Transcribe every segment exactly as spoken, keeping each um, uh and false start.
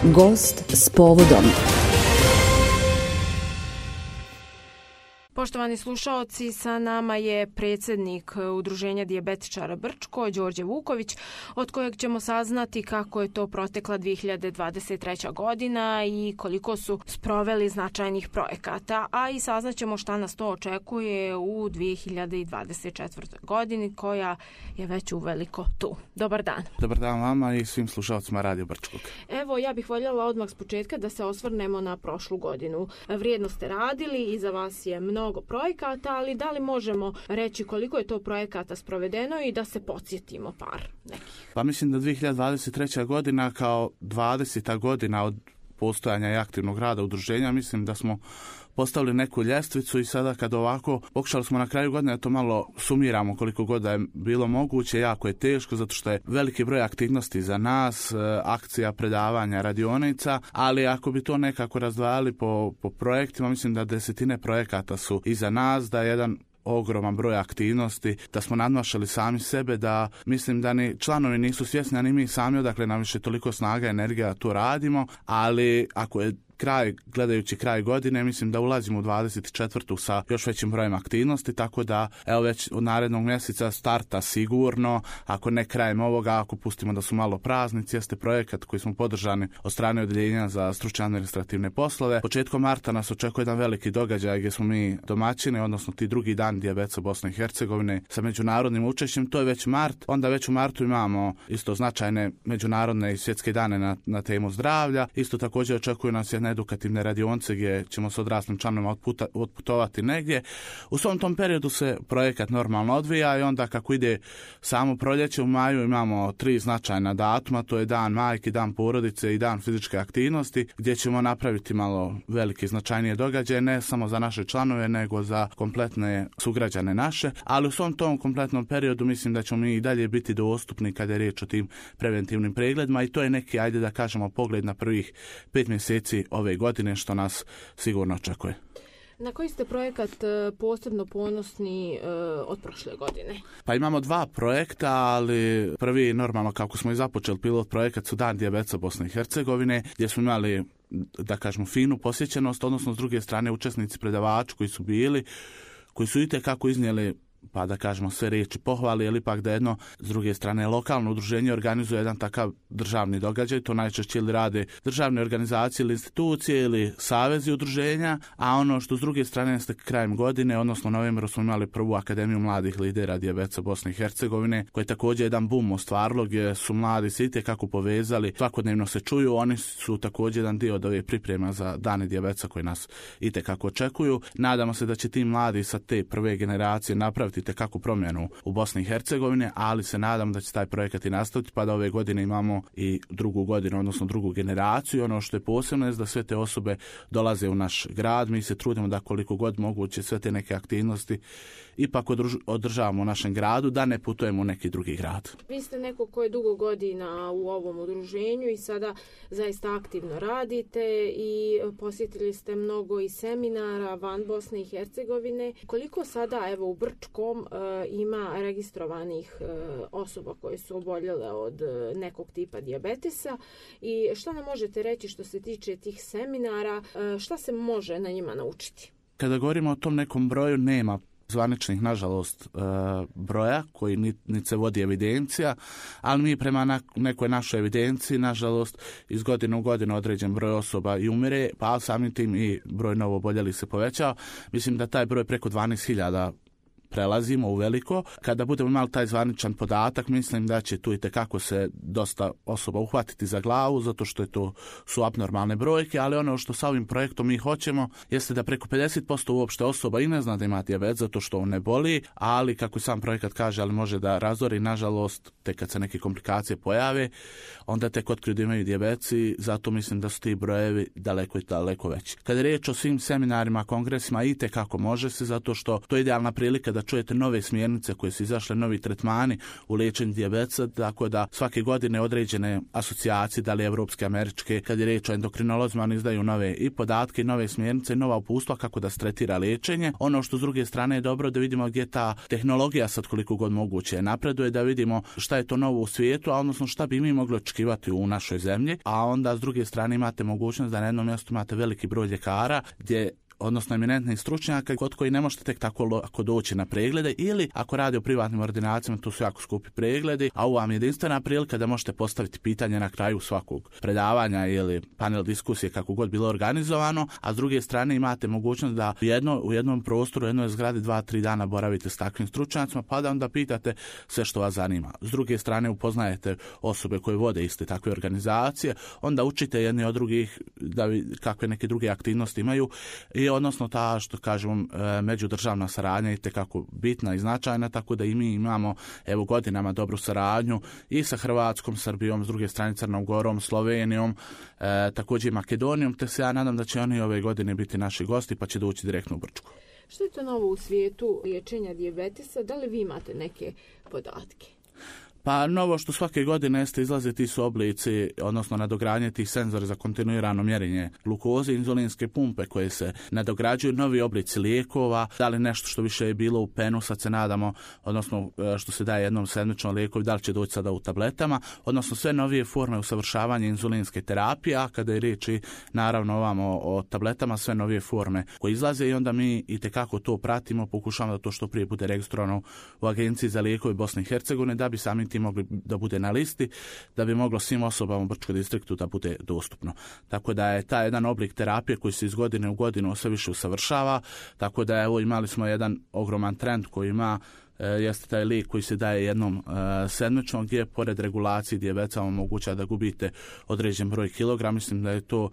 Gost s povodom. Poštovani slušaoci, sa nama je predsjednik Udruženja dijabetičara Brčko, Đorđe Vuković, od kojeg ćemo saznati kako je to protekla dvije hiljade dvadeset treća godina i koliko su sproveli značajnih projekata, a i saznaćemo šta nas to očekuje u dvije hiljade dvadeset četvrtoj godini, koja je već uveliko tu. Dobar dan. Dobar dan vama i svim slušalcima Radio Brčkog. Evo, ja bih voljela odmah s početka da se osvrnemo na prošlu godinu. Vrijedno ste radili, iza vas je mnogo projekata, ali da li možemo reći koliko je to projekata sprovedeno i da se podsjetimo par nekih? Pa mislim da dvije hiljade dvadeset treća godina kao dvadeseta godina od postojanja i aktivnog rada udruženja, mislim da smo postavili neku ljestvicu i sada kad ovako pokušali smo na kraju godine da to malo sumiramo koliko god da je bilo moguće, jako je teško zato što je veliki broj aktivnosti za nas, akcija, predavanja, radionica, ali ako bi to nekako razdvajali po, po projektima, mislim da desetine projekata su iza nas, da je jedan ogroman broj aktivnosti, da smo nadmašali sami sebe, da mislim da ni članovi nisu svjesni, a ni mi sami odakle nam više toliko snaga i energija to radimo, ali ako je kraj, gledajući kraj godine, mislim da ulazimo u dvadeset četvrtu sa još većim brojem aktivnosti, tako da evo već od narednog mjeseca starta sigurno, ako ne krajem ovoga, ako pustimo da su malo praznici, jeste projekat koji smo podržani od strane Odeljenja za stručne administrativne poslove. Početkom marta nas očekuje jedan veliki događaj gdje smo mi domaćini, odnosno ti drugi dan dijabetesa Bosne i Hercegovine sa međunarodnim učešćem, to je već mart, onda već u martu imamo isto značajne međunarodne i svjetske dane na, na temu zdravlja, isto također očekuju nas jedna edukativne radionce gdje ćemo s odraslim članovima otputa, otputovati negdje. U svom tom periodu se projekat normalno odvija i onda kako ide samo proljeće u maju imamo tri značajna datuma, to je dan majke, dan porodice i dan fizičke aktivnosti, gdje ćemo napraviti malo velike značajnije događaje, ne samo za naše članove, nego za kompletne sugrađane naše, ali u svom tom kompletnom periodu mislim da ćemo mi i dalje biti dostupni kada je riječ o tim preventivnim pregledima i to je neki, ajde da kažemo, pogled na prvih pet mjeseci ove godine što nas sigurno očekuje. Na koji ste projekat posebno ponosni uh, od prošle godine? Pa imamo dva projekta, ali prvi normalno kako smo i započeli pilot projekat su Dan dijabetesa Bosne i Hercegovine, gdje smo imali, da kažemo, finu posjećenost, odnosno s druge strane učesnici predavači koji su bili, koji su itekako iznijeli, pa da kažemo, sve riječi pohvali, ali ipak da jedno s druge strane lokalno udruženje organizuje jedan takav državni događaj, to najčešće ili rade državne organizacije ili institucije ili savezi udruženja, a ono što s druge strane jeste krajem godine, odnosno u novembru smo imali prvu Akademiju mladih lidera dijabetesa Bosne i Hercegovine, koje je također jedan bum ostvarilo, gdje su mladi se itekako povezali, svakodnevno se čuju, oni su također jedan dio od ove priprema za dane dijabetesa koji nas itekako očekuju. Nadamo se da će ti mladi sa te prve generacije napraviti itekako promjenu u Bosni i Hercegovini, ali se nadam da će taj projekat i nastaviti, pa da ove godine imamo i drugu godinu, odnosno drugu generaciju. Ono što je posebno je da sve te osobe dolaze u naš grad. Mi se trudimo da koliko god moguće sve te neke aktivnosti ipak održavamo u našem gradu, da ne putujemo u neki drugi grad. Vi ste neko ko je dugo godina u ovom udruženju i sada zaista aktivno radite i posjetili ste mnogo i seminara van Bosne i Hercegovine. Koliko sada, evo, u Brčkom ima registrovanih osoba koje su oboljele od nekog tipa dijabetesa i šta nam možete reći što se tiče tih seminara, šta se može na njima naučiti? Kada govorimo o tom nekom broju, nema zvaničnih, nažalost, broja koji niti se vodi evidencija, ali mi prema nekoj našoj evidenciji, nažalost, iz godine u godinu određen broj osoba i umire, pa samim tim i broj novo oboljelih se povećao. Mislim da taj broj preko dvanaest hiljada prelazimo u veliko. Kada budemo imali taj zvaničan podatak, mislim da će tu itekako se dosta osoba uhvatiti za glavu, zato što je to su abnormalne brojke, ali ono što sa ovim projektom mi hoćemo jeste da preko pedeset posto uopšte osoba i ne zna da ima dijabetes zato što on ne boli, ali kako sam projekat kaže, ali može da razori, nažalost, tek kad se neke komplikacije pojave, onda tek otkriju da imaju dijabetes i zato mislim da su ti brojevi daleko i daleko veći. Kada je riječ o svim seminarima, kongresima, itekako može se, zato što to je idealna prilika da da čujete nove smjernice koje su izašle, novi tretmani u liječenju dijabetesa, tako da svake godine određene asocijacije, da li evropske, američke, kad je riječ o endokrinolozima, oni izdaju nove i podatke, i nove smjernice, i nova uputstva kako da se tretira liječenje. Ono što s druge strane je dobro da vidimo gdje ta tehnologija sad koliko god moguće napreduje, da vidimo šta je to novo u svijetu, a odnosno šta bi mi mogli očekivati u našoj zemlji, a onda s druge strane imate mogućnost da na jednom mjestu imate veliki broj ljekara gdje odnosno eminentnih stručnjaka kod koji ne možete tek tako lako doći na preglede, ili ako radi o privatnim ordinacijama, to su jako skupi pregledi, a ovo vam je jedinstvena prilika da možete postaviti pitanje na kraju svakog predavanja ili panel diskusije, kako god bilo organizovano, a s druge strane imate mogućnost da jedno, u jednom prostoru, u jednoj zgradi dva, tri dana boravite s takvim stručnjacima, pa da onda pitate sve što vas zanima. S druge strane upoznajete osobe koje vode iste takve organizacije, onda učite jedni od drugih da vi, kakve neke druge aktivnosti imaju, i odnosno ta, što kažemo, međudržavna saradnja je itekako bitna i značajna, tako da i mi imamo evo godinama dobru saradnju i sa Hrvatskom, Srbijom, s druge strane Crnom Gorom, Slovenijom, e, također i Makedonijom, te se ja nadam da će oni ove godine biti naši gosti pa će doći direktno u Brčko. Što je to novo u svijetu liječenja dijabetesa? Da li vi imate neke podatke? Pa novo što svake godine jeste izlaze ti su oblici, odnosno nadogradnje tih senzora za kontinuirano mjerenje glukoze, inzulinske pumpe koje se nadograđuju, novi oblici lijekova, da li nešto što više je bilo u penu, sad se nadamo, odnosno što se daje jednom sedmičnom lijekovi, da li će doći sada u tabletama, odnosno sve novije forme usavršavanja inzulinske terapije, a kada je riječ i naravno ovamo o tabletama, sve novije forme koje izlaze, i onda mi itekako to pratimo, pokušavamo da to što prije bude registrovano u Agenciji za lijekove Bosne i Hercegovine, da bi sami ti mogli da bude na listi, da bi moglo svim osobama u Brčkom distriktu da bude dostupno. Tako da je taj jedan oblik terapije koji se iz godine u godinu sve više usavršava, tako da evo imali smo jedan ogroman trend koji ima e, jeste taj lijek koji se daje jednom e, sedmično, gdje pored regulacije dijabetesa omogućava da gubite određen broj kilograma. Mislim da je to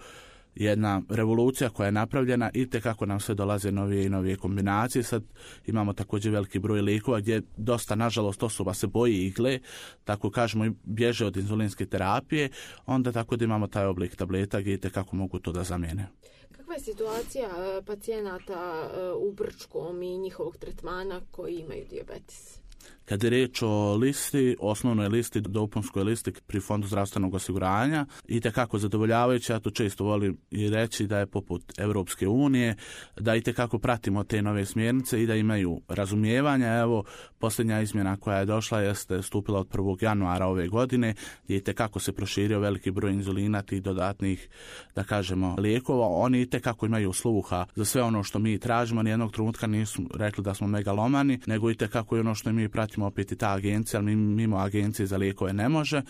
jedna revolucija koja je napravljena i tekako nam sve dolaze novije i novije kombinacije. Sad imamo također veliki broj lijekova gdje dosta, nažalost, osoba se boji igle, tako kažemo, i bježe od inzulinske terapije, onda tako da imamo taj oblik tableta gdje tekako mogu to da zamijene. Kakva je situacija pacijenata u Brčkom i njihovog tretmana koji imaju dijabetes? Kad je riječ o listi, osnovnoj listi, dopunskoj listi pri Fondu zdravstvenog osiguranja, i tekako zadovoljavajuće, ja to često volim i reći da je poput Europske unije, da i tekako pratimo te nove smjernice i da imaju razumijevanja. Evo, posljednja izmjena koja je došla jeste stupila od prvog januara ove godine, gdje i tekako se proširio veliki broj inzulina, tih dodatnih, da kažemo, lijekova. Oni i tekako imaju sluha za sve ono što mi tražimo, nijednog trenutka nisu rekli da smo megalomani, nego i tekako je ono što mi pratimo opet i ta agencija, ali mimo agencije za lijekove ne može,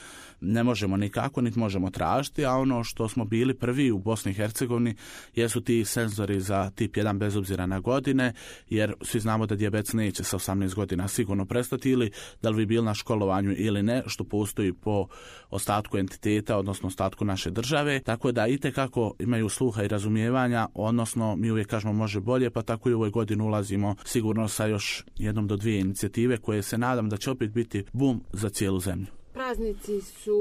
ne možemo nikako, niti možemo tražiti, a ono što smo bili prvi u Bosni i Hercegovini jesu ti senzori za tip jedan bez obzira na godine, jer svi znamo da dijabetes neće sa osamnaest godina sigurno prestati, ili da li vi bili na školovanju ili ne, što postoji po ostatku entiteta, odnosno ostatku naše države, tako da itekako imaju sluha i razumijevanja, odnosno mi uvijek kažemo može bolje, pa tako i u ovoj godini ulazimo sigurno sa još jednom do dvije inicijative koje se nadam da će opet biti bum za cijelu zemlju. Praznici su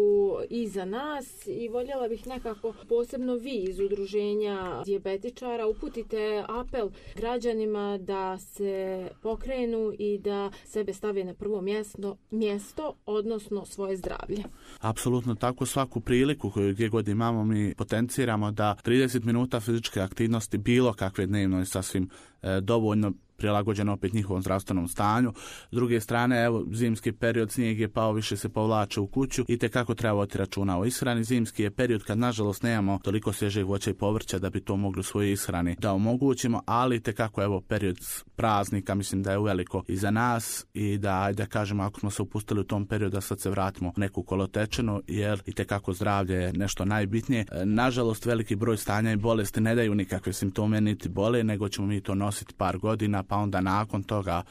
iza nas i voljela bih nekako posebno vi iz udruženja dijabetičara uputite apel građanima da se pokrenu i da sebe stave na prvo mjesto, mjesto odnosno svoje zdravlje. Apsolutno tako, svaku priliku koju gdje god imamo mi potenciramo da trideset minuta fizičke aktivnosti bilo kakve dnevno je sasvim e, dovoljno, prilagođeno opet njihovom zdravstvenom stanju. S druge strane, evo, zimski period, snijeg je pao, više se povlače u kuću i tekako treba voditi računa o ishrani. Zimski je period kad nažalost nemamo toliko svježeg voća i povrća da bi to mogli u svojoj ishrani da omogućimo, ali tekako evo period praznika mislim da je uveliko iza nas i da, ajde kažemo, ako smo se upustili u tom periodu da sad se vratimo u neku kolotečinu, jer i tekako zdravlje je nešto najbitnije. Nažalost, veliki broj stanja i bolesti ne daju nikakve simptome niti bole, nego ćemo mi to nositi par godina, pa onda nakon toga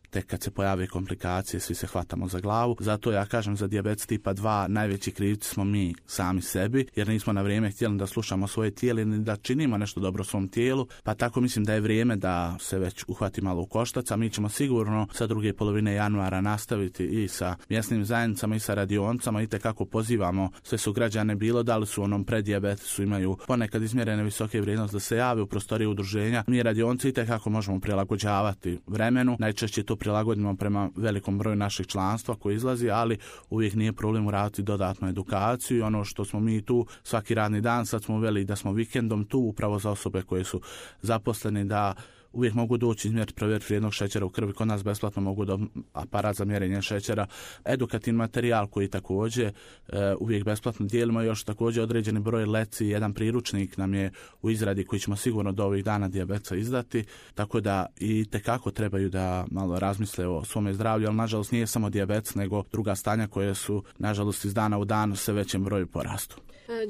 tek kad se pojave komplikacije svi se hvatamo za glavu. Zato ja kažem za dijabetes tipa dva najveći krivci smo mi sami sebi, jer nismo na vrijeme htjeli da slušamo svoje tijelo i da činimo nešto dobro svom tijelu, pa tako mislim da je vrijeme da se već uhvati malo u koštac, a mi ćemo sigurno sa druge polovine januara nastaviti i sa mjesnim zajednicama i sa radionicama i tekako pozivamo sve su građane bilo da li su u onom preddijabetesu imaju ponekad izmjerene visoke vrijednosti da se jave u prostorije udruženja. Mi radionici i tekako možemo prilagođavati vremenu, najčešće to prilagodimo prema velikom broju naših članstva koji izlazi, ali uvijek nije problem uraditi dodatnu edukaciju i ono što smo mi tu svaki radni dan, sad smo uveli da smo vikendom tu upravo za osobe koje su zaposleni da uvijek mogu doći izmjeriti provjeriti vrijednog šećera u krvi, kod nas besplatno mogu do aparat za mjerenje šećera, edukativni materijal koji također e, uvijek besplatno dijelimo, još također određeni broj leci, jedan priručnik nam je u izradi koji ćemo sigurno do ovih dana dijabetesa izdati, tako da i tekako trebaju da malo razmisle o svome zdravlju, ali nažalost nije samo dijabetes nego druga stanja koje su nažalost iz dana u dan sve većem broju porastu.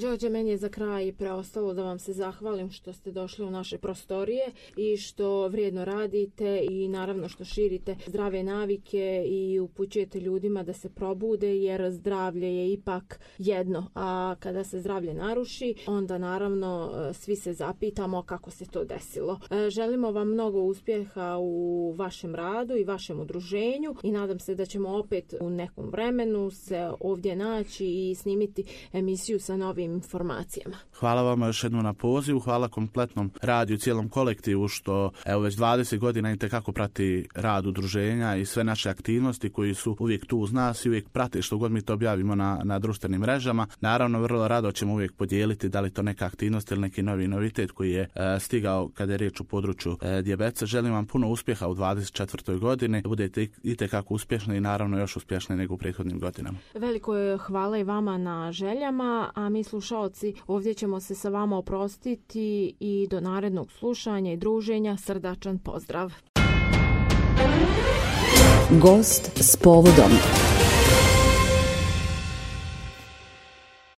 Đorđe, meni je za kraj preostalo da vam se zahvalim što ste došli u naše prostorije i što vrijedno radite i naravno što širite zdrave navike i upućujete ljudima da se probude, jer zdravlje je ipak jedno, a kada se zdravlje naruši, onda naravno svi se zapitamo kako se to desilo. Želimo vam mnogo uspjeha u vašem radu i vašem udruženju i nadam se da ćemo opet u nekom vremenu se ovdje naći i snimiti emisiju sa novim informacijama. Hvala vam još jednom na pozivu, hvala kompletnom radiju, cijelom kolektivu što evo već dvadeset godina itekako prati rad udruženja i sve naše aktivnosti koji su uvijek tu uz nas i uvijek prate što god mi to objavimo na, na društvenim mrežama. Naravno, vrlo rado ćemo uvijek podijeliti da li to neka aktivnost ili neki novi novitet koji je e, stigao kada je riječ u području e, dijabetesa. Želim vam puno uspjeha u dvadeset četvrtoj godini, da budete itekako uspješni i naravno još uspješniji nego u prethodnim godinama. Veliko je hvala i vama na željama, a mi slušalci ovdje ćemo se sa vama oprostiti i do narednog slušanja i druženja srdačan pozdrav. Gost s povodom.